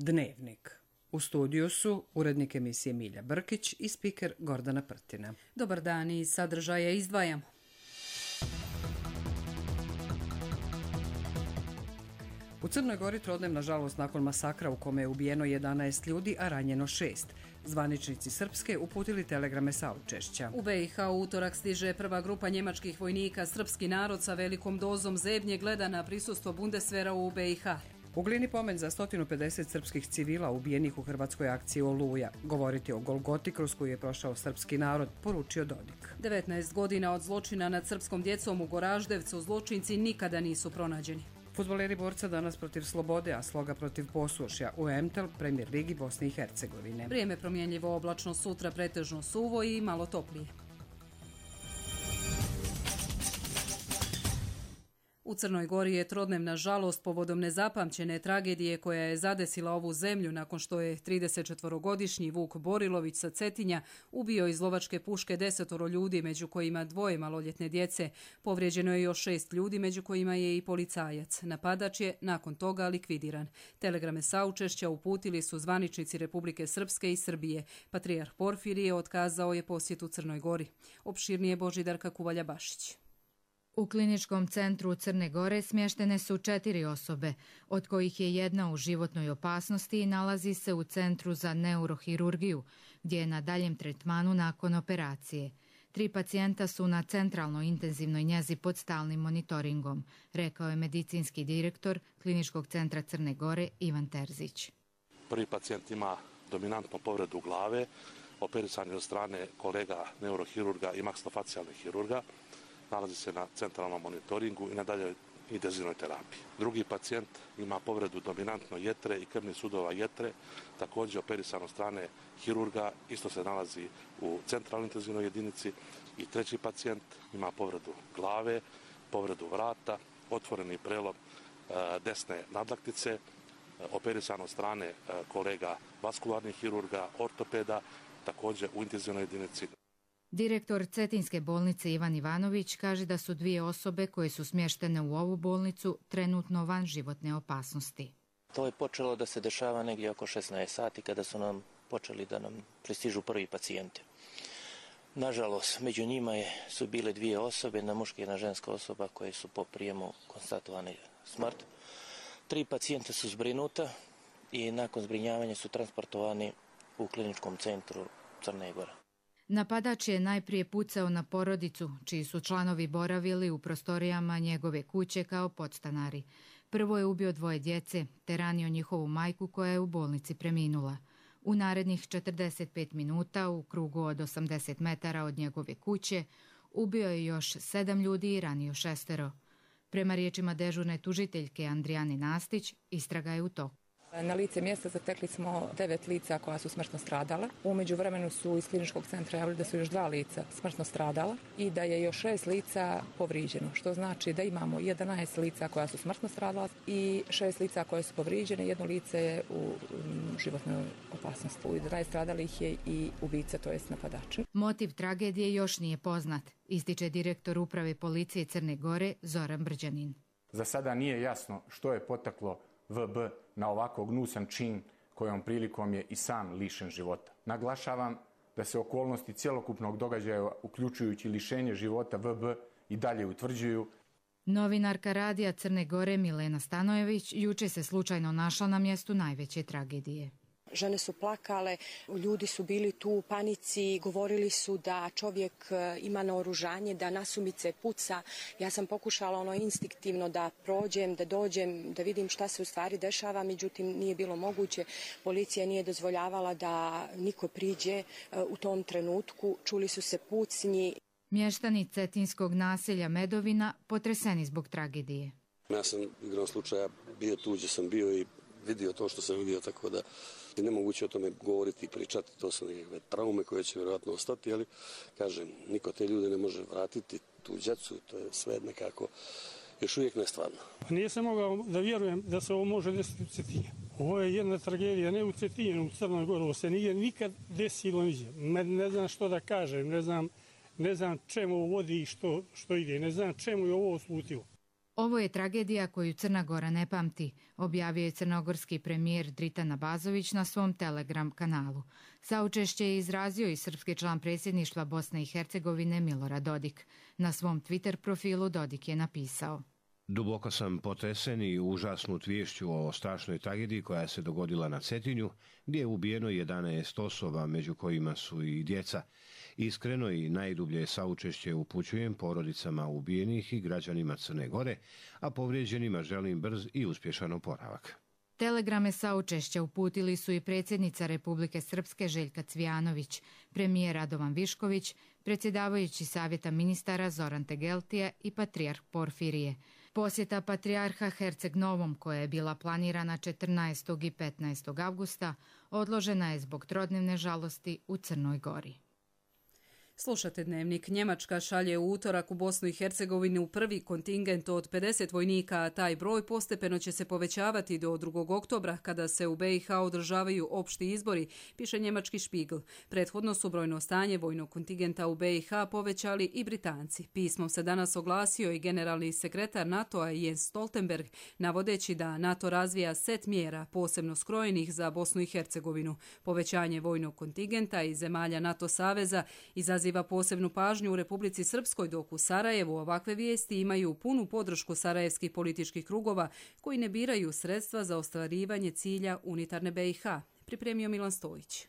Dnevnik. U studiju su urednik emisije Milja Brkić i spiker Gordana Prtina. Dobar dan, i sadržaje izdvajamo. U Crnoj Gori trodnevna žalost nakon masakra u kome je ubijeno 11 ljudi, a ranjeno 6. Zvaničnici Srpske uputili telegrame saučešća. U BiH u utorak stiže prva grupa njemačkih vojnika. Srpski narod sa velikom dozom zebnje gleda na prisustvo Bundeswehra u BiH. U Glini pomen za 150 srpskih civila ubijenih u hrvatskoj akciji Oluja. Govoriti o Golgoti kroz koju je prošao srpski narod, poručio Dodik. 19 godina od zločina nad srpskom djecom u Goraždevcu zločinci nikada nisu pronađeni. Fudbaleri Borca danas protiv Slobode, a Sloga protiv Posušja u MTEL, Premier Ligi Bosne i Hercegovine. Vrijeme promjenjivo, oblačno, sutra pretežno suvo i malo toplije. U Crnoj Gori je trodnevna žalost povodom nezapamćene tragedije koja je zadesila ovu zemlju nakon što je 34-godišnji Vuk Borilović sa Cetinja ubio iz lovačke puške 10 ljudi, među kojima 2 maloljetne djece. Povrijeđeno je još 6 ljudi, među kojima je i policajac. Napadač je nakon toga likvidiran. Telegrame saučešća uputili su zvaničnici Republike Srpske i Srbije. Patrijarh Porfirije otkazao je posjetu Crnoj Gori. Opširnije Božidarka Kuvalja-Bašić. U kliničkom centru Crne Gore smještene su 4 osobe, od kojih je jedna u životnoj opasnosti i nalazi se u centru za neurohirurgiju, gdje je na daljem tretmanu nakon operacije. 3 pacijenta su na centralnoj intenzivnoj njezi pod stalnim monitoringom, rekao je medicinski direktor kliničkog centra Crne Gore Ivan Terzić. Prvi pacijent ima dominantnu povredu glave, operisan je od strane kolega neurohirurga i maksilofacijalnih hirurga. Nalazi se na centralnom monitoringu i na daljoj intenzivnoj terapiji. Drugi pacijent ima povredu dominantno jetre i krvnih sudova jetre, također operisan od strane hirurga, isto se nalazi u centralnoj intenzivnoj jedinici. I treći pacijent ima povredu glave, povredu vrata, otvoreni prelom desne nadlaktice, operisan od strane kolega vaskularnih hirurga, ortopeda, također u intenzivnoj jedinici. Direktor Cetinske bolnice Ivan Ivanović kaže da su 2 osobe koje su smještene u ovu bolnicu trenutno van životne opasnosti. To je počelo da se dešava negdje oko 16 sati kada su nam počeli da nam pristižu prvi pacijenti. Nažalost, među njima su bile 2 osobe, jedna muška i jedna ženska osoba koje su po prijemu konstatovane smrt. 3 pacijenta su zbrinuta i nakon zbrinjavanja su transportovani u kliničkom centru Crne Gore. Napadač je najprije pucao na porodicu, čiji su članovi boravili u prostorijama njegove kuće kao podstanari. Prvo je ubio 2 djece, te ranio njihovu majku koja je u bolnici preminula. U narednih 45 minuta, u krugu od 80 metara od njegove kuće, ubio je još 7 ljudi i ranio 6. Prema riječima dežurne tužiteljke Andrijane Nastić, istraga je u toku. Na lice mjesta zatekli smo 9 lica koja su smrtno stradala. U međuvremenu su iz kliničkog centra javili da su još 2 lica smrtno stradala i da je još 6 lica povrijeđeno, što znači da imamo 11 lica koja su smrtno stradala i 6 lica koje su povrijeđene, 1 lice je u životnoj opasnosti. U 11 stradalih je i ubica, to jest napadač. Motiv tragedije još nije poznat, ističe direktor uprave policije Crne Gore Zoran Brđanin. Za sada nije jasno što je potaklo VB na ovako gnusan čin kojom prilikom je i sam lišen života. Naglašavam da se okolnosti cjelokupnog događaja, uključujući lišenje života VB, i dalje utvrđuju. Novinarka radija Crne Gore Milena Stanojević juče se slučajno našla na mjestu najveće tragedije. Žene su plakale, ljudi su bili tu u panici, govorili su da čovjek ima naoružanje, da nasumice puca. Ja sam pokušala instinktivno da prođem, da dođem, da vidim šta se u stvari dešava, međutim nije bilo moguće. Policija nije dozvoljavala da niko priđe u tom trenutku, čuli su se pucnji. Mještani cetinskog naselja Medovina potreseni zbog tragedije. Ja sam igrom slučaja bio tu gdje sam bio i vidio to što sam vidio, tako da je nemoguće o tome govoriti i pričati. To su nekakve traume koje će vjerojatno ostati, ali kažem, niko te ljude ne može vratiti, tu djecu, to je sve nekako još uvijek nestvarno. Nisam mogao da vjerujem da se ovo može desiti u Cetinju. Ovo je jedna tragedija, ne u Cetinju, u Crnoj Gori, ovo se nije nikad desilo niđe. Ne znam što da kažem, ne znam čemu ovo vodi i što ide, ne znam čemu je ovo slutilo. Ovo je tragedija koju Crna Gora ne pamti, objavio je crnogorski premijer Dritan Abazović na svom Telegram kanalu. Saučešće je izrazio i srpski član predsjedništva Bosne i Hercegovine Milorad Dodik. Na svom Twitter profilu Dodik je napisao: Duboko sam potresen i užasnut viješću o strašnoj tragediji koja se dogodila na Cetinju, gdje je ubijeno 11 osoba, među kojima su i djeca. Iskreno i najdublje saučešće upućujem porodicama ubijenih i građanima Crne Gore, a povrijeđenima želim brz i uspješan oporavak. Telegrame saučešća uputili su i predsjednica Republike Srpske Željka Cvijanović, premijer Radovan Višković, predsjedavajući Savjeta ministara Zoran Tegeltije i patrijarh Porfirije. Posjeta patrijarha Herceg Novom, koja je bila planirana 14. i 15. avgusta, odložena je zbog trodnevne žalosti u Crnoj Gori. Slušate Dnevnik. Njemačka šalje u utorak u Bosnu i Hercegovinu prvi kontingent od 50 vojnika, a taj broj postepeno će se povećavati do 2. oktobra kada se u BiH održavaju opšti izbori, piše njemački Spiegel. Prethodno su brojno stanje vojnog kontingenta u BiH povećali i Britanci. Pismom se danas oglasio i generalni sekretar NATO-a Jens Stoltenberg, navodeći da NATO razvija set mjera posebno skrojenih za Bosnu i Hercegovinu. Povećanje vojnog kontingenta i zemalja NATO saveza izaziva posebnu pažnju u Republici Srpskoj, dok u Sarajevu ovakve vijesti imaju punu podršku sarajevskih političkih krugova koji ne biraju sredstva za ostvarivanje cilja unitarne BiH. Pripremio Milan Stojić.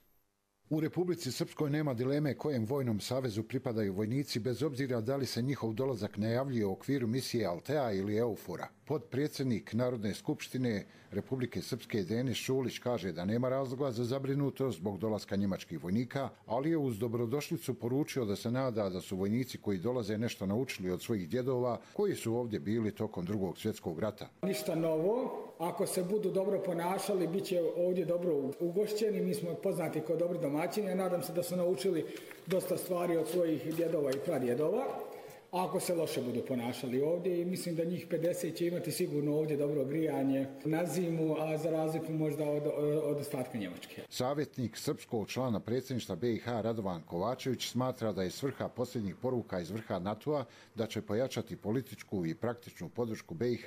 U Republici Srpskoj nema dileme kojem vojnom savezu pripadaju vojnici, bez obzira da li se njihov dolazak najavljuje u okviru misije Altea ili Eufora. Potpredsjednik Narodne skupštine Republike Srpske Denis Šulić kaže da nema razloga za zabrinutost zbog dolaska njemačkih vojnika, ali je uz dobrodošlicu poručio da se nada da su vojnici koji dolaze nešto naučili od svojih djedova koji su ovdje bili tokom Drugog svjetskog rata. Ništa novo. Ako se budu dobro ponašali, bit će ovdje dobro ugošćeni. Mi smo poznati kao dobri domaćini. Ja nadam se da su naučili dosta stvari od svojih djedova i pradjedova. Ako se loše budu ponašali ovdje, i mislim da njih 50 će imati sigurno ovdje dobro grijanje na zimu, a za razliku možda od ostatka Njemačke. Savjetnik srpskog člana predsjedništva BiH Radovan Kovačević smatra da je svrha posljednjih poruka iz vrha NATO-a da će pojačati političku i praktičnu podršku BiH,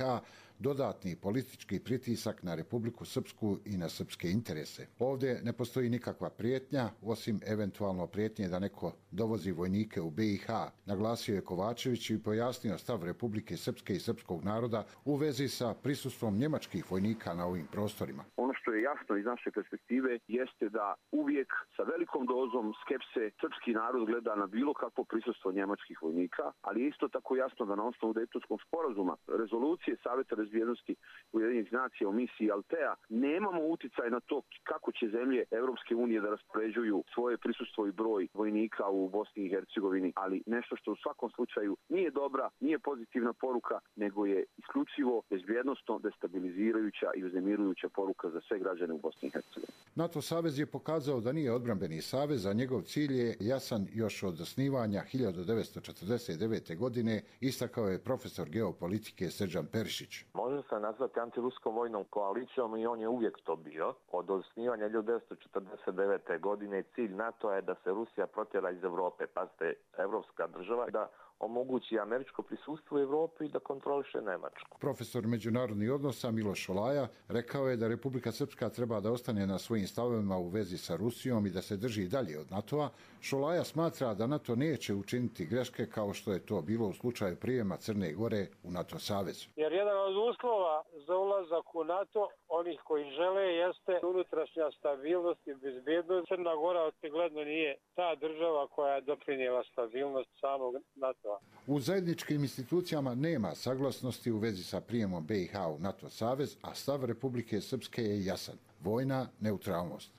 dodatni politički pritisak na Republiku Srpsku i na srpske interese. Ovdje ne postoji nikakva prijetnja, osim eventualno prijetnje da neko dovozi vojnike u BiH, naglasio je Kovačević i pojasnio stav Republike Srpske i srpskog naroda u vezi sa prisustvom njemačkih vojnika na ovim prostorima. Ono što je jasno iz naše perspektive jeste da uvijek sa velikom dozom skepse srpski narod gleda na bilo kakvo prisustvo njemačkih vojnika, ali je isto tako jasno da na osnovu Dejtonskog sporazuma, rezolucije Saveta bezbjednosti Ujedinjenih nacija o misiji Altea, nemamo uticaj na to kako će zemlje Europske unije da raspoređuju svoje prisustvo i broj vojnika u Bosni i Hercegovini, ali nešto što u svakom slučaju nije dobra, nije pozitivna poruka, nego je isključivo bezbjednosno destabilizirajuća i uznemirujuća poruka za sve građane u Bosni i Hercegovini. NATO savez je pokazao da nije odbrambeni savez, a njegov cilj je jasan još od osnivanja 1949. godine, istakao je profesor geopolitike Srđan Perišić. Može se nazvati antiruskom vojnom koalicijom i on je uvijek to bio. Od osnivanja 1949. godine cilj NATO je da se Rusija protjera iz Europe, pazite, evropska država, da omogući američko prisustvo u Evropi i da kontroliše Nemačku. Profesor međunarodnih odnosa Miloš Šolaja rekao je da Republika Srpska treba da ostane na svojim stavovima u vezi sa Rusijom i da se drži dalje od NATO-a. Šolaja smatra da NATO neće učiniti greške kao što je to bilo u slučaju prijema Crne Gore u NATO savez. Jer jedan od uslova za ulazak u NATO, onih koji žele, jeste unutrašnja stabilnost i bezbjednost. Crna Gora očigledno nije ta država koja je doprinijela stabilnost samog NATO. U zajedničkim institucijama nema saglasnosti u vezi sa prijemom BiH u NATO savez, a stav Republike Srpske je jasan. Vojna neutralnost.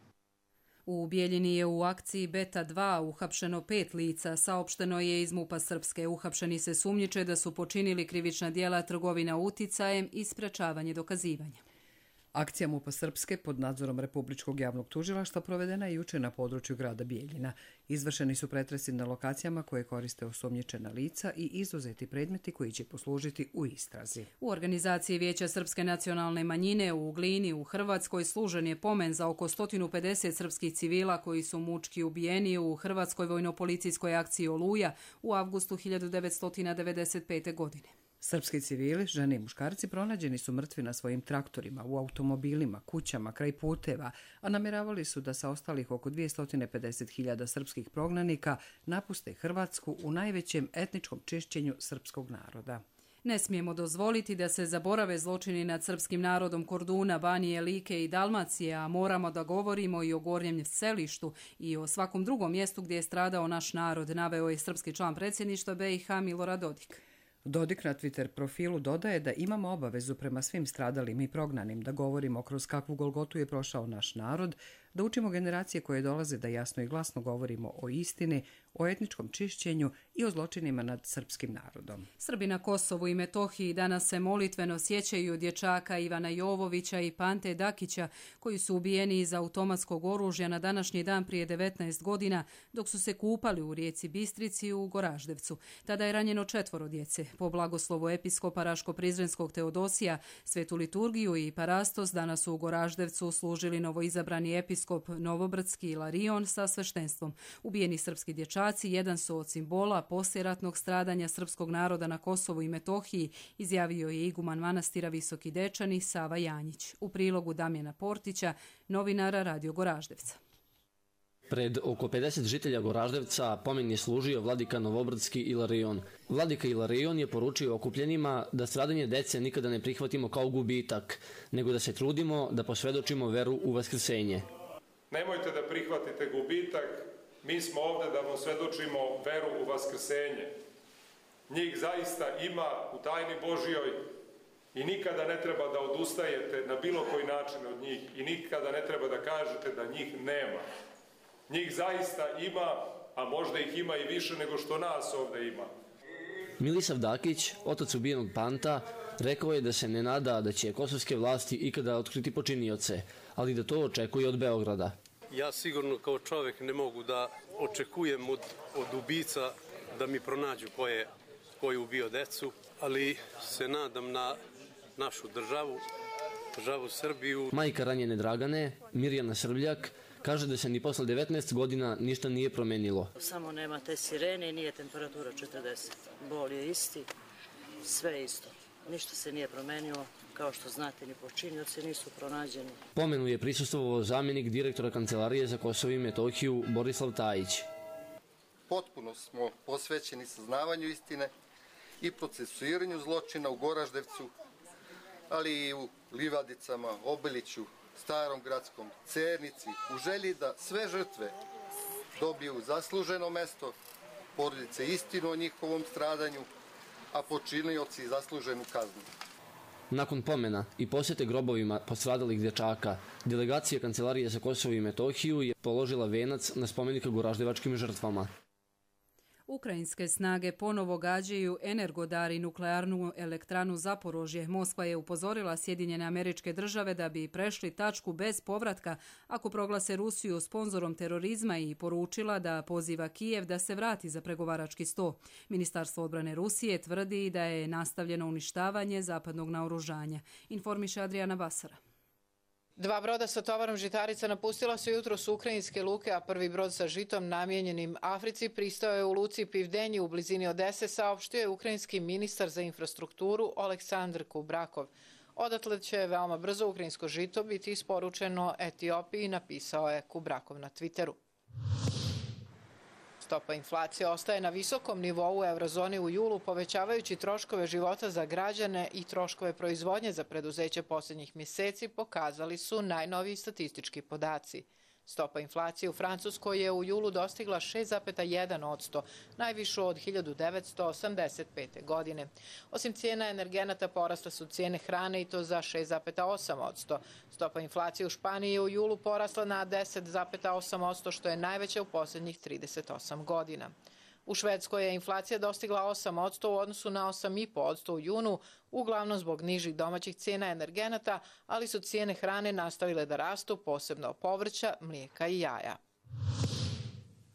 U Bijeljini je u akciji Beta 2 uhapšeno 5 lica, saopšteno je iz MUP-a Srpske. Uhapšeni se sumnjiče da su počinili krivična djela trgovina uticajem i sprečavanje dokazivanja. Akcija MUP-a Srpske pod nadzorom Republičkog javnog tužilaštva provedena je jučer na području grada Bijeljina. Izvršeni su pretresi na lokacijama koje koriste osumnjičena lica i izuzeti predmeti koji će poslužiti u istrazi. U organizaciji Vijeća Srpske nacionalne manjine u Glini u Hrvatskoj služen je pomen za oko 150 srpskih civila koji su mučki ubijeni u Hrvatskoj vojno-policijskoj akciji Oluja u avgustu 1995. godine. Srpski civili, žene i muškarci pronađeni su mrtvi na svojim traktorima, u automobilima, kućama, kraj puteva, a namjeravali su da sa ostalih oko 250.000 srpskih prognanika napuste Hrvatsku u najvećem etničkom čišćenju srpskog naroda. Ne smijemo dozvoliti da se zaborave zločini nad srpskim narodom Korduna, Banije, Like i Dalmacije, a moramo da govorimo i o Gornjem Selištu i o svakom drugom mjestu gdje je stradao naš narod, naveo je srpski član predsjedništva BiH Milorad Dodik. Dodik na Twitter profilu dodaje da imamo obavezu prema svim stradalim i prognanim, da govorimo kroz kakvu golgotu je prošao naš narod, da učimo generacije koje dolaze da jasno i glasno govorimo o istini, o etničkom čišćenju i o zločinima nad srpskim narodom. Srbi na Kosovu i Metohiji danas se molitveno sjećaju dječaka Ivana Jovovića i Pante Dakića, koji su ubijeni iz automatskog oružja na današnji dan prije 19 godina, dok su se kupali u rijeci Bistrici u Goraždevcu. Tada je ranjeno 4 djece. Po blagoslovu episkopa Raško-Prizrenskog Teodosija, svetu liturgiju i parastos danas su u Goraždevcu služili novoizabrani episkop Novobrdski Ilarion sa sveštenstvom. Ubijeni srpski dječaci jedan su od simbola poslijeratnog stradanja srpskog naroda na Kosovu i Metohiji, izjavio je iguman manastira Visoki Dečani Sava Janjić. U prilogu Damjana Portića, novinara Radio Goraždevca. Pred oko 50 žitelja Goraždevca pomen je služio vladika Novobrdski Ilarion. Vladika Ilarion je poručio okupljenima da stradanje dece nikada ne prihvatimo kao gubitak, nego da se trudimo da posvjedočimo veru u vaskrsenje. Nemojte da prihvatite gubitak, mi smo ovdje da vam svjedočimo veru u vaskrsenje. Njih zaista ima u tajni Božjoj i nikada ne treba da odustajete na bilo koji način od njih i nikada ne treba da kažete da njih nema. Njih zaista ima, a možda ih ima i više nego što nas ovdje ima. Milisav Dakić, otac ubijenog Panta, rekao je da se ne nada da će kosovske vlasti ikada otkriti počinioce, ali da to očekuje od Beograda. Ja sigurno kao čovjek ne mogu da očekujem od ubica da mi pronađu ko je ubio decu, ali se nadam na našu državu Srbiju. Majka ranjene Dragane, Mirjana Srbljak, kaže da se ni posle 19 godina ništa nije promenilo. Samo nema te sirene i nije temperatura 40. Bol je isti, sve isto. Ništa se nije promenilo, kao što znate, ni počinioci nisu pronađeni. Pomenu je prisustvovao zamjenik direktora Kancelarije za Kosovo i Metohiju Borislav Tajić. Potpuno smo posvećeni saznavanju istine i procesuiranju zločina u Goraždevcu, ali i u Livadicama, Obiliću, Starom Gradskom, Cernici, u želji da sve žrtve dobiju zasluženo mesto, porodice istinu o njihovom stradanju, a počinioci zasluženu kaznu. Nakon pomena i posjete grobovima postradalih dječaka, delegacija Kancelarije za Kosovo i Metohiju je položila venac na spomenik goraždevačkim žrtvama. Ukrajinske snage ponovo gađaju Energodar i nuklearnu elektranu Zaporožje. Moskva je upozorila Sjedinjene Američke Države da bi prešli tačku bez povratka ako proglase Rusiju sponzorom terorizma i poručila da poziva Kijev da se vrati za pregovarački sto. Ministarstvo odbrane Rusije tvrdi da je nastavljeno uništavanje zapadnog naoružanja. Informiše Adriana Basara. 2 broda sa tovarom žitarica napustila su jutros ukrajinske luke, a prvi brod sa žitom namijenjenim Africi pristao je u luci Pivdenji u blizini Odese, saopštio je ukrajinski ministar za infrastrukturu Oleksandr Kubrakov. Odatle će veoma brzo ukrajinsko žito biti isporučeno Etiopiji, napisao je Kubrakov na Twitteru. Stopa inflacije ostaje na visokom nivou u eurozoni u julu, povećavajući troškove života za građane i troškove proizvodnje za preduzeće posljednjih mjeseci, pokazali su najnoviji statistički podaci. Stopa inflacije u Francuskoj je u julu dostigla 6,1%, najvišu od 1985. godine. Osim cijena energenata porasle su cijene hrane i to za 6,8%. Stopa inflacije u Španiji je u julu porasla na 10,8%, što je najveća u posljednjih 38 godina. U Švedskoj je inflacija dostigla 8% u odnosu na 8,5% u junu, uglavnom zbog nižih domaćih cijena energenata, ali su cijene hrane nastavile da rastu, posebno povrća, mlijeka i jaja.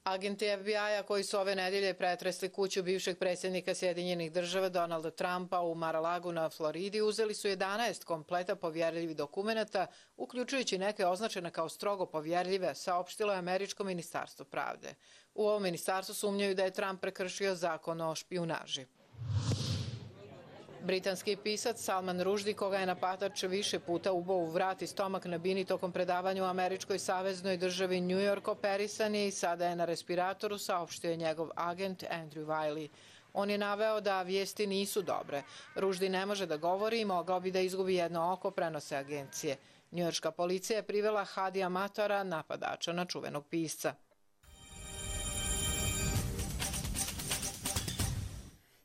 Agenti FBI-a koji su ove nedjelje pretresli kuću bivšeg predsjednika Sjedinjenih Država Donalda Trumpa u Mar-a-Lagu na Floridi uzeli su 11 kompleta povjerljivih dokumenata, uključujući neke označene kao strogo povjerljive, saopštilo je Američko ministarstvo pravde. U ovom ministarstvu sumnjaju da je Trump prekršio zakon o špijunaži. Britanski pisac Salman Rushdie, koga je napadač više puta ubao u vrat i stomak na bini tokom predavanja u američkoj saveznoj državi New York, operisan je i sada je na respiratoru, saopštio je njegov agent Andrew Wiley. On je naveo da vijesti nisu dobre. Rushdie ne može da govori i mogao bi da izgubi jedno oko, prenose agencije. Njujorška policija je privela Hadija Matora, napadača na čuvenog pisca.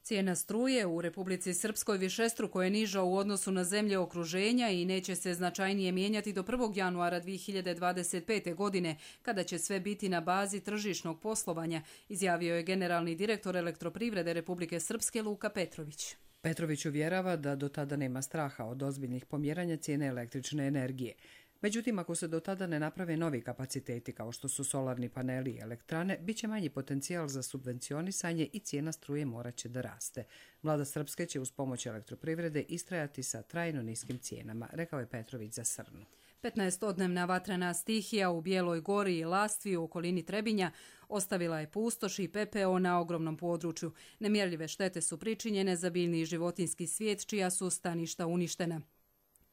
Cijena struje u Republici Srpskoj višestruko je niža u odnosu na zemlje okruženja i neće se značajnije mijenjati do 1. januara 2025. godine, kada će sve biti na bazi tržišnog poslovanja, izjavio je generalni direktor Elektroprivrede Republike Srpske Luka Petrović. Petrović uvjerava da do tada nema straha od ozbiljnih pomjeranja cijene električne energije. Međutim, ako se do tada ne naprave novi kapaciteti kao što su solarni paneli i elektrane, bit će manji potencijal za subvencionisanje i cijena struje morat će da raste. Vlada Srpske će uz pomoć Elektroprivrede istrajati sa trajno niskim cijenama, rekao je Petrović za Srnu. 15-odnevna vatrena stihija u Bijeloj Gori i Lastvi u okolini Trebinja ostavila je pustoš i pepeo na ogromnom području. Nemjerljive štete su pričinjene za biljni i životinjski svijet, čija su staništa uništena.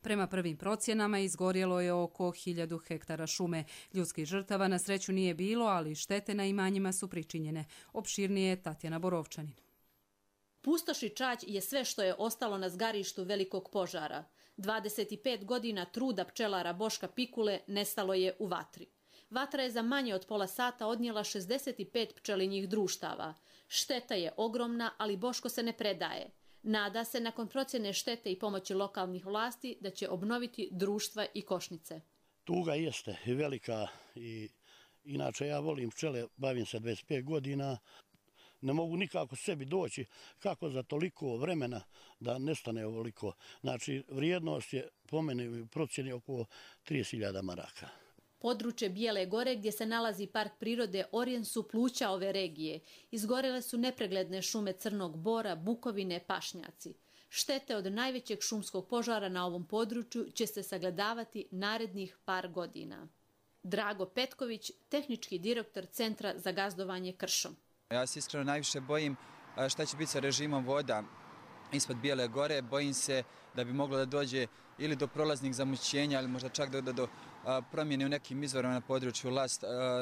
Prema prvim procjenama izgorjelo je oko 1000 hektara šume. Ljudskih žrtava na sreću nije bilo, ali štete na imanjima su pričinjene. Opširnije je Tatjana Borovčanin. Pustoš i čađ je sve što je ostalo na zgarištu velikog požara. 25 godina truda pčelara Boška Pikule nestalo je u vatri. Vatra je za manje od pola sata odnijela 65 pčelinjih društava. Šteta je ogromna, ali Boško se ne predaje. Nada se nakon procjene štete i pomoći lokalnih vlasti da će obnoviti društva i košnice. Tuga jeste velika i inače ja volim pčele, bavim se 25 godina. Ne mogu nikako sebi doći kako za toliko vremena da nestane ovoliko. Znači, vrijednost je po meni u procjeni oko 30.000 maraka. Područje Bijele Gore, gdje se nalazi park prirode Orjen, su pluća ove regije. Izgorele su nepregledne šume crnog bora, bukovine, pašnjaci. Štete od najvećeg šumskog požara na ovom području će se sagledavati narednih par godina. Drago Petković, tehnički direktor Centra za gazdovanje kršom. Ja se iskreno najviše bojim šta će biti sa režimom voda ispod Bijele Gore. Bojim se da bi moglo da dođe ili do prolaznih zamućenja, ali možda čak do promjene u nekim izvorima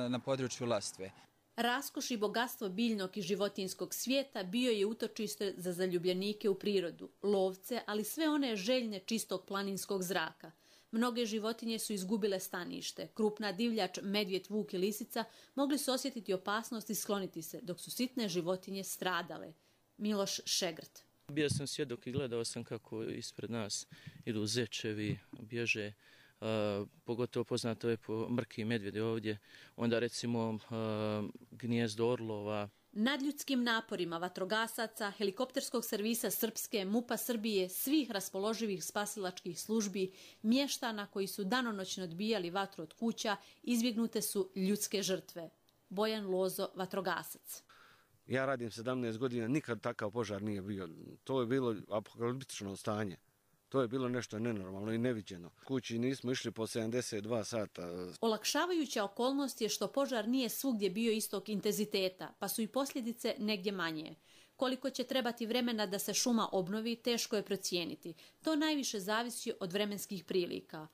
na području Lastve. Raskoš i bogatstvo biljnog i životinjskog svijeta bio je utočište za zaljubljenike u prirodu, lovce, ali sve one željne čistog planinskog zraka. Mnoge životinje su izgubile stanište. Krupna divljač, medvjed, vuk i lisica mogli su osjetiti opasnost i skloniti se, dok su sitne životinje stradale. Miloš Šegrt. Bio sam svjedok i gledao sam kako ispred nas idu zečevi, bježe, pogotovo poznato je po mrki medvjedi ovdje, onda recimo gnijezdo orlova. Nadljudskim naporima vatrogasaca, helikopterskog servisa Srpske, MUP-a Srbije, svih raspoloživih spasilačkih službi, mještana koji su danonoćno odbijali vatru od kuća, izbjegnute su ljudske žrtve. Bojan Lozo, vatrogasac. Ja radim 17 godina, nikad takav požar nije bio. To je bilo apokaliptično stanje. To je bilo nešto nenormalno i neviđeno. Kući nismo išli po 72 sata. Olakšavajuća okolnost je što požar nije svugdje bio istog intenziteta, pa su i posljedice negdje manje. Koliko će trebati vremena da se šuma obnovi, teško je procijeniti. To najviše zavisi od vremenskih prilika.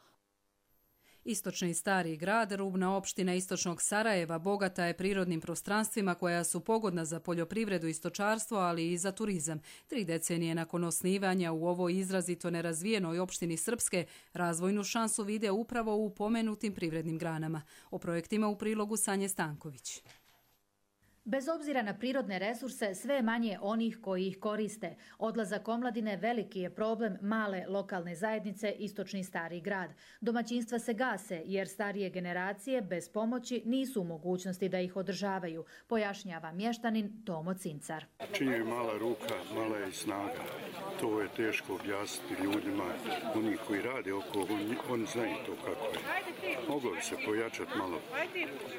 Istočni Stari grad, rubna opština istočnog Sarajeva, bogata je prirodnim prostranstvima koja su pogodna za poljoprivredu i stočarstvo, ali i za turizam. 3 decenije nakon osnivanja u ovoj izrazito nerazvijenoj opštini Srpske, razvojnu šansu vide upravo u pomenutim privrednim granama. O projektima u prilogu Sanje Stanković. Bez obzira na prirodne resurse, sve je manje onih koji ih koriste. Odlazak omladine veliki je problem male lokalne zajednice Istočni Stari grad. Domaćinstva se gase jer starije generacije bez pomoći nisu u mogućnosti da ih održavaju, pojašnjava mještanin Tomo Cincar. Čim je mala ruka, mala je i snaga. To je teško objasniti ljudima. Oni koji rade oko, oni znaju to kako je. Moglo bi se pojačati malo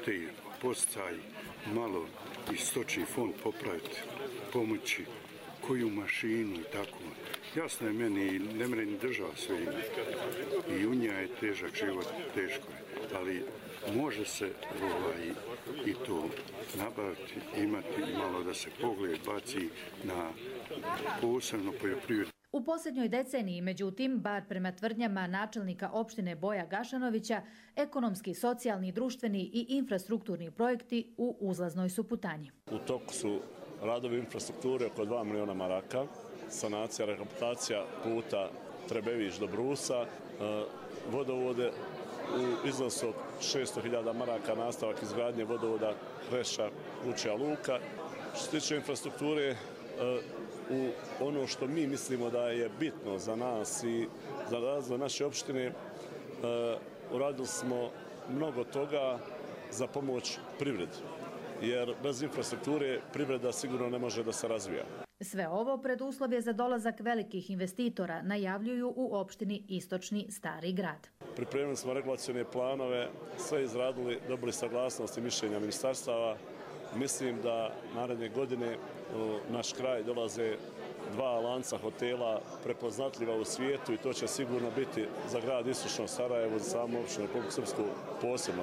te posticaji, malo i stočni fond popraviti, pomoći, koju mašinu i tako. Jasno je meni, ne mre ni država sve ima. I u njega je težak život, teško je. Ali može se i to nabaviti, imati malo da se pogled baci na posebno poljoprivredu. U posljednjoj deceniji, međutim, bar prema tvrdnjama načelnika opštine Boja Gašanovića, ekonomski, socijalni, društveni i infrastrukturni projekti u uzlaznoj su putanji. U toku su radovi infrastrukture oko 2 miliona maraka, sanacija, rehabilitacija puta Trebević do Brusa, vodovode u iznosu od 600.000 maraka, nastavak izgradnje vodovoda Reša, Vučja Luka. Što se tiče infrastrukture, u ono što mi mislimo da je bitno za nas i za razvoj naše opštine, uradili smo mnogo toga za pomoć privredi, jer bez infrastrukture privreda sigurno ne može da se razvija. Sve ovo preduslov je za dolazak velikih investitora, najavljuju u opštini Istočni Stari Grad. Pripremili smo regulacione planove, sve izradili, dobili saglasnost i mišljenja ministarstava. Mislim da naredne godine u naš kraj dolaze 2 lanca hotela prepoznatljiva u svijetu i to će sigurno biti za grad Istočno Sarajevo, za samu opštinu Republiku Srpsku posebno.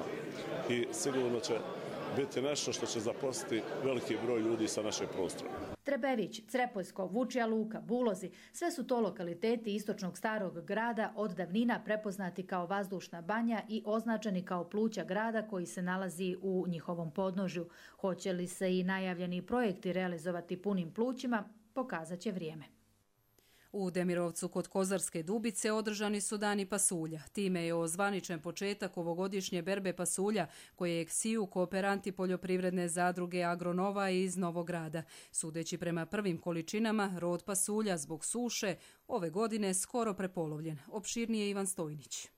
I sigurno će biti nešto što će zaposliti veliki broj ljudi sa našeg prostora. Trebević, Crepoljsko, Vučja Luka, Bulozi, sve su to lokaliteti Istočnog Starog Grada od davnina prepoznati kao vazdušna banja i označeni kao pluća grada koji se nalazi u njihovom podnožju. Hoće li se i najavljeni projekti realizovati punim plućima, pokazat će vrijeme. U Demirovcu kod Kozarske Dubice održani su dani pasulja. Time je ozvaničen početak ovogodišnje berbe pasulja kojeg siju kooperanti poljoprivredne zadruge Agronova iz Novog Grada. Sudeći prema prvim količinama, rod pasulja zbog suše ove godine skoro prepolovljen. Opširnije Ivan Stojnić.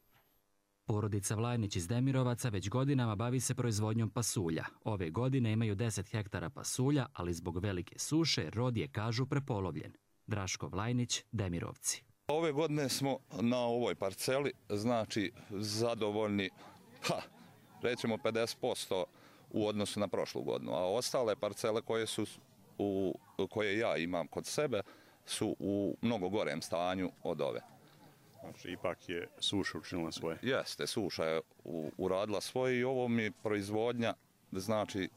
Porodica Vlajnić iz Demirovaca već godinama bavi se proizvodnjom pasulja. Ove godine imaju 10 hektara pasulja, ali zbog velike suše rod je, kažu, prepolovljen. Draško Vlajnić, Demirovci. Ove godine smo na ovoj parceli, znači, zadovoljni, rećemo 50% u odnosu na prošlu godinu, a ostale parcele koje ja imam kod sebe su u mnogo gorem stanju od ove. Znači, ipak je suša učinila svoje. Jeste, suša je uradila svoje i ovo mi proizvodnja, znači,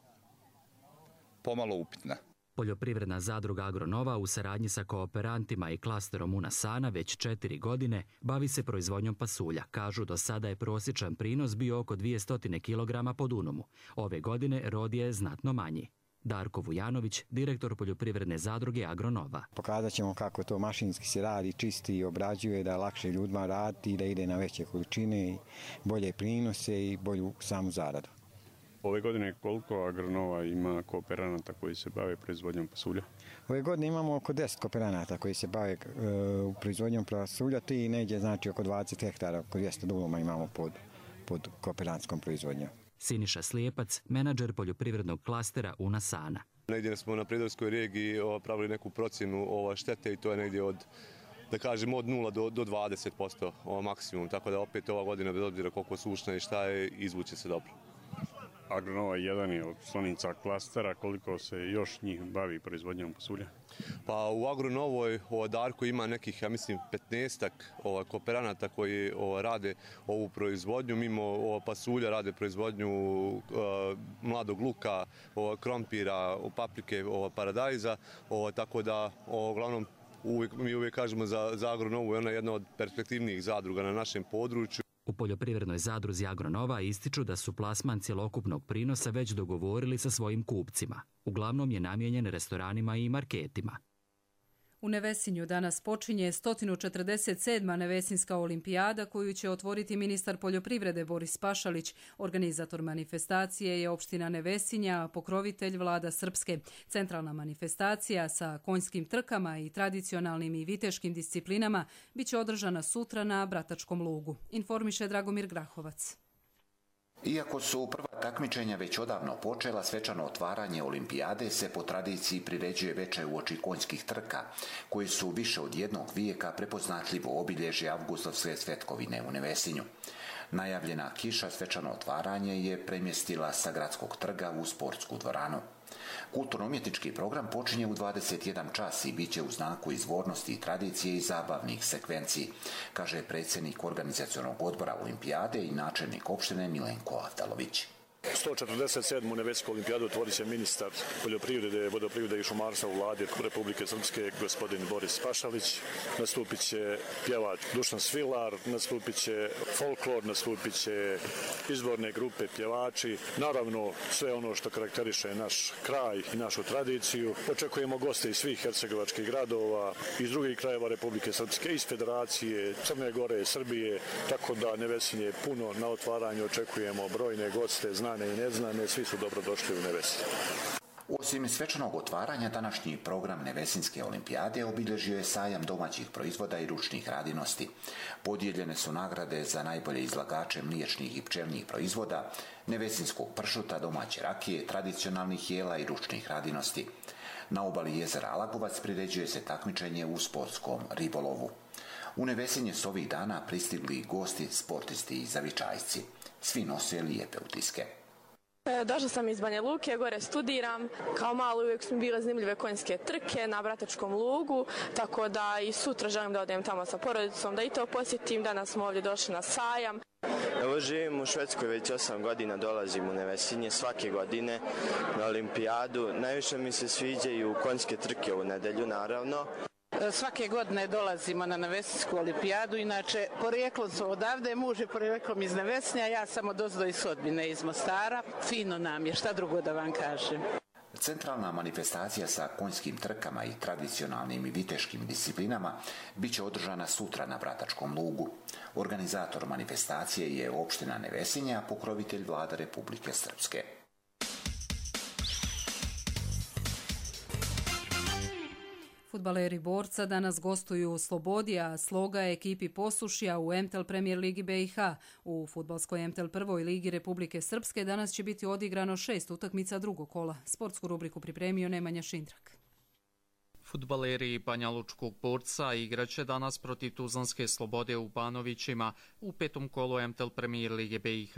pomalo upitna. Poljoprivredna zadruga Agronova u saradnji sa kooperantima i klasterom Unasana već 4 godine bavi se proizvodnjom pasulja. Kažu, do sada je prosječan prinos bio oko 200 kg po dunumu. Ove godine rod je znatno manji. Darko Vujanović, direktor poljoprivredne zadruge Agronova. Pokazat ćemo kako to mašinski se radi, čisti i obrađuje, da je lakše ljudima raditi i da ide na veće količine, bolje prinose i bolju samu zaradu. Ove godine koliko Agronova ima kooperanata koji se bave proizvodnjom pasulja? Ove godine imamo oko 10 kooperanata koji se bave proizvodnjom pasulja, ti negdje znači oko 20 hektara, oko 200 duluma imamo pod kooperantskom proizvodnjom. Siniša Slijepac, menadžer poljoprivrednog klastera Unasana. Negdje smo na Prijedorskoj regiji pravili neku procjenu štete i to je negdje od, da kažemo, od 0 do 20% maksimum, tako da opet ova godina, bez obzira koliko sušna i šta je, izvuće se dobro. Agronova jedan je od članica klastera, koliko se još njih bavi proizvodnjom pasulja? Pa u Agronovoj Darko ima nekih, ja mislim, 15-ak kooperanata koji rade ovu proizvodnju. Mimo pasulja rade proizvodnju mladog luka, krompira, paprike, paradajza, tako da uglavnom mi uvijek kažemo za Agronovu je ona jedna od perspektivnijih zadruga na našem području. U poljoprivrednoj zadruzi Agronova ističu da su plasman cjelokupnog prinosa već dogovorili sa svojim kupcima. Uglavnom je namijenjen restoranima i marketima. U Nevesinju danas počinje 147. Nevesinska olimpijada koju će otvoriti ministar poljoprivrede Boris Pašalić. Organizator manifestacije je opština Nevesinja, a pokrovitelj Vlada Srpske. Centralna manifestacija sa konjskim trkama i tradicionalnim i viteškim disciplinama biće održana sutra na Bratačkom lugu. Informiše Dragomir Grahovac. Iako su prva takmičenja već odavno počela, svečano otvaranje olimpijade se po tradiciji priređuje veče uoči konjskih trka, koji su više od jednog vijeka prepoznatljivo obilježje avgustovske svetkovine u Nevesinju. Najavljena kiša svečano otvaranje je premjestila sa gradskog trga u sportsku dvoranu. Kulturno-umjetnički program počinje u 21 čas i bit će u znaku izvornosti i tradicije i zabavnih sekvenciji, kaže predsjednik organizacionog odbora olimpijade i načelnik opštine Milenko Avdalović. 147. Nevesijsku olimpijadu otvorit će ministar poljoprivrede, vodoprivrede i šumarstva u vladi Republike Srpske, gospodin Boris Pašalić. Nastupit će pjevač Dušan Svilar, nastupit će folklor, nastupit će izborne grupe pjevači. Naravno, sve ono što karakteriše naš kraj i našu tradiciju. Očekujemo goste iz svih hercegovačkih gradova, iz drugih krajeva Republike Srpske, iz Federacije, Crne Gore, Srbije, tako da Nevesinje puno na otvaranju. Očekujemo brojne goste, znane i neznane, svi su dobrodošli u Nevesinje. Osim svečanog otvaranja, današnji program Nevesinske olimpijade obilježio je sajam domaćih proizvoda i ručnih radinosti. Podijeljene su nagrade za najbolje izlagače mliječnih i pčelnih proizvoda, nevesinskog pršuta, domaće rakije, tradicionalnih jela i ručnih radinosti. Na obali jezera Alagovac priređuje se takmičenje u sportskom ribolovu. U Nevesinje su ovih dana pristigli gosti, sportisti i zavičajci. Svi nose lijepe utiske. Došla sam iz Banja Luke, gore studiram. Kao malo uvijek su mi bile zanimljive konjske trke na Bratačkom lugu, tako da i sutra želim da odem tamo sa porodicom, da i to posjetim. Danas smo ovdje došli na sajam. Evo živim u Švedskoj već 8 godina, dolazim u Nevesinje svake godine na olimpijadu. Najviše mi se sviđaju konjske trke u nedelju, naravno. Svake godine dolazimo na Nevesinsku olimpijadu, inače porijeklom su odavde, muž je porijeklom iz Nevesinja, ja sam odozdo iz Sodbine, iz Mostara. Fino nam je, šta drugo da vam kažem. Centralna manifestacija sa konjskim trkama i tradicionalnim i viteškim disciplinama bit će održana sutra na Bratačkom lugu. Organizator manifestacije je opština Nevesinje, a pokrovitelj Vlada Republike Srpske. Fudbaleri Borca danas gostuju u Slobodi, a Sloga je ekipi Posušja u MTEL Premier Ligi BiH. U fudbalskoj MTEL prvoj ligi Republike Srpske danas će biti odigrano 6 utakmica drugog kola. Sportsku rubriku pripremio Nemanja Šindrak. Fudbaleri Banja Lučkog Borca igraće danas protiv Tuzlanske Slobode u Banovićima u 5. kolu MTEL Premier Lige BiH.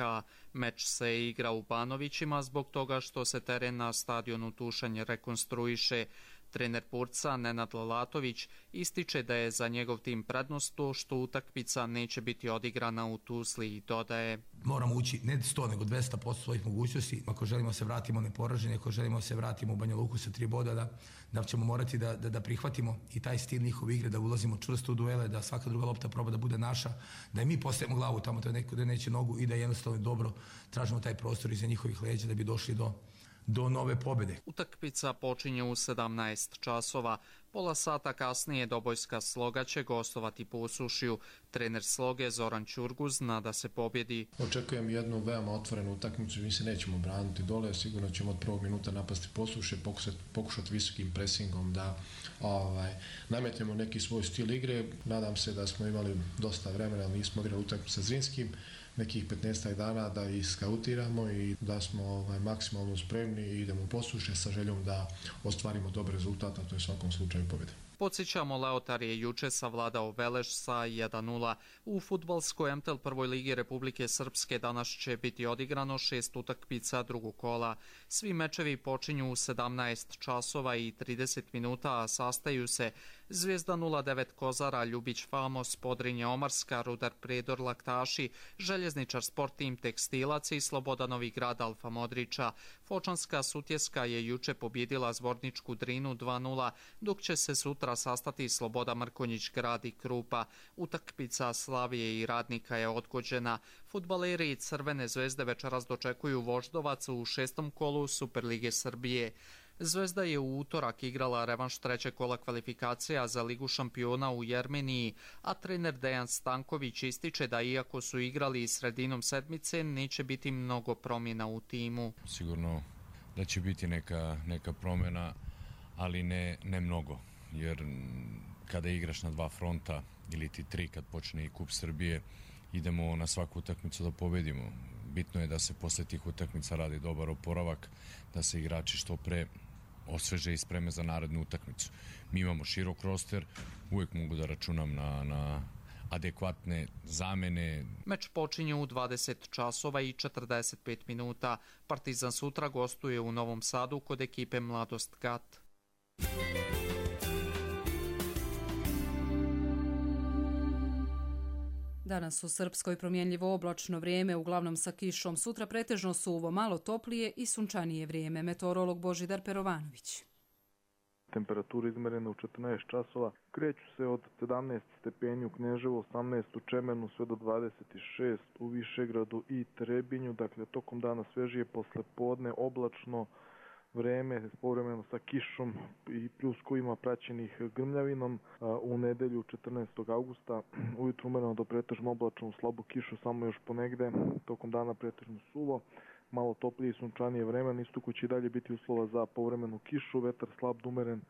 Meč se igra u Banovićima zbog toga što se teren na stadionu Tušanj rekonstruiše. Trener Borca Nenad Lalatović ističe da je za njegov tim prednost to što utakmica neće biti odigrana u Tuzli i dodaje: moramo ući ne 100 nego 200% svojih mogućnosti. Ako želimo se vratimo neporaženi, ako želimo se vratimo u Banja Luku sa 3 boda, da ćemo morati da prihvatimo i taj stil njihove igre, da ulazimo čvrsto u duele, da svaka druga lopta proba da bude naša, da i mi postavimo glavu tamo da neće nogu i da jednostavno dobro tražimo taj prostor iza njihovih leđa da bi došli do nove pobjede. Utakmica počinje u 17 časova. Pola sata kasnije Dobojska Sloga će gostovati Posušju. Trener Sloge Zoran Ćurguz nada se pobjedi. Očekujem jednu veoma otvorenu utakmicu, mi se nećemo braniti dole, sigurno ćemo od prvog minuta napasti Posušje, pokušati visokim presingom da nametnemo neki svoj stil igre. Nadam se da smo imali dosta vremena, ali nismo igrali utakmicu sa Zrinskim, nekih 15 dana da ih skautiramo i da smo maksimalno spremni i idemo u Posušje sa željom da ostvarimo dobar rezultat, a to je u svakom slučaju pobjeda. Podsjećamo, Leotar je juče savladao Veleš sa 1:0. U fudbalskoj MTEL prvoj ligi Republike Srpske danas će biti odigrano 6 utakmica drugog kola. Svi mečevi počinju u 17 časova i 30 minuta, a sastaju se Zvijezda 09 Kozara, Ljubić Famos, Podrinje Omarska, Rudar Predor Laktaši, Željezničar Sport Tim Tekstilac i Sloboda Novi Grad Alfa Modrića. Fočanska Sutjeska je juče pobjedila Zvorničku Drinu 2:0, dok će se sutra sastati Sloboda Mrkonjić Grad i Krupa. Utakmica Slavije i Radnika je odgođena. Fudbaleri Crvene zvezde večeras dočekuju Voždovac u 6. kolu Superlige Srbije. Zvezda je u utorak igrala revanš 3. kola kvalifikacija za Ligu šampiona u Jermeniji, a trener Dejan Stanković ističe da iako su igrali sredinom sedmice, neće biti mnogo promjena u timu. Sigurno da će biti neka promjena, ali ne mnogo, jer kada igraš na 2 fronta ili ti 3 kad počne i Kup Srbije, idemo na svaku utakmicu da pobedimo. Bitno je da se posle tih utakmica radi dobar oporavak, da se igrači što pre osveže i spreme za narednu utakmicu. Mi imamo širok roster, uvijek mogu da računam na adekvatne zamene. Meč počinje u 20 časova i 45 minuta. Partizan sutra gostuje u Novom Sadu kod ekipe Mladost Gat. Danas u Srpskoj promjenljivo oblačno vrijeme, uglavnom sa kišom. Sutra pretežno suvo, malo toplije i sunčanije vrijeme. Meteorolog Božidar Perovanović. Temperature izmerene u 14 časova kreću se od 17 stepeni u Kneževu, 18 u Čemenu, sve do 26 u Višegradu i Trebinju. Dakle, tokom dana svežije, posle podne oblačno vreme, povremeno sa kišom i pljuskovima praćenih grmljavinom. U nedelju 14. augusta ujutru umereno do pretežno oblačno, slabu kišu samo još ponegde, tokom dana pretežno suvo, malo toplije i sunčanije vreme. Na istoku će i dalje biti uslova za povremenu kišu, vetar slab do umeren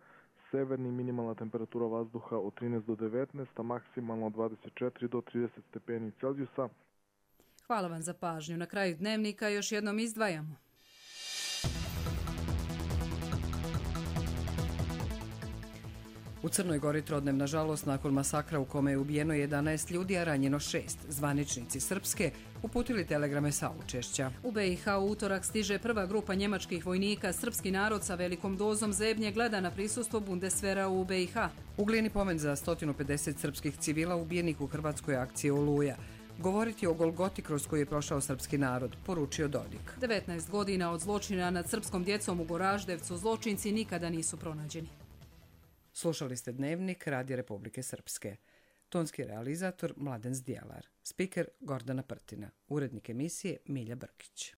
severni, minimalna temperatura vazduha od 13 do 19, a maksimalno od 24 do 30 stepeni Celzijusa. Hvala vam za pažnju. Na kraju dnevnika još jednom izdvajamo. U Crnoj Gori trodnevna žalost nakon masakra u kome je ubijeno 11 ljudi, a ranjeno 6. Zvaničnici Srpske uputili telegrame saučešća. U BiH u utorak stiže prva grupa njemačkih vojnika. Srpski narod sa velikom dozom zebnje gleda na prisustvo Bundeswehra u BiH. U Glini pomen za 150 srpskih civila ubijenih u hrvatskoj akciji Oluja. Govoriti o Golgoti kroz koju je prošao srpski narod, poručio Dodik. 19 godina od zločina nad srpskom djecom u Goraždevcu zločinci nikada nisu pronađeni. Slušali ste Dnevnik Radija Republike Srpske. Tonski realizator Mladen Zdjelar. Spiker Gordana Prtina. Urednik emisije Milja Brkić.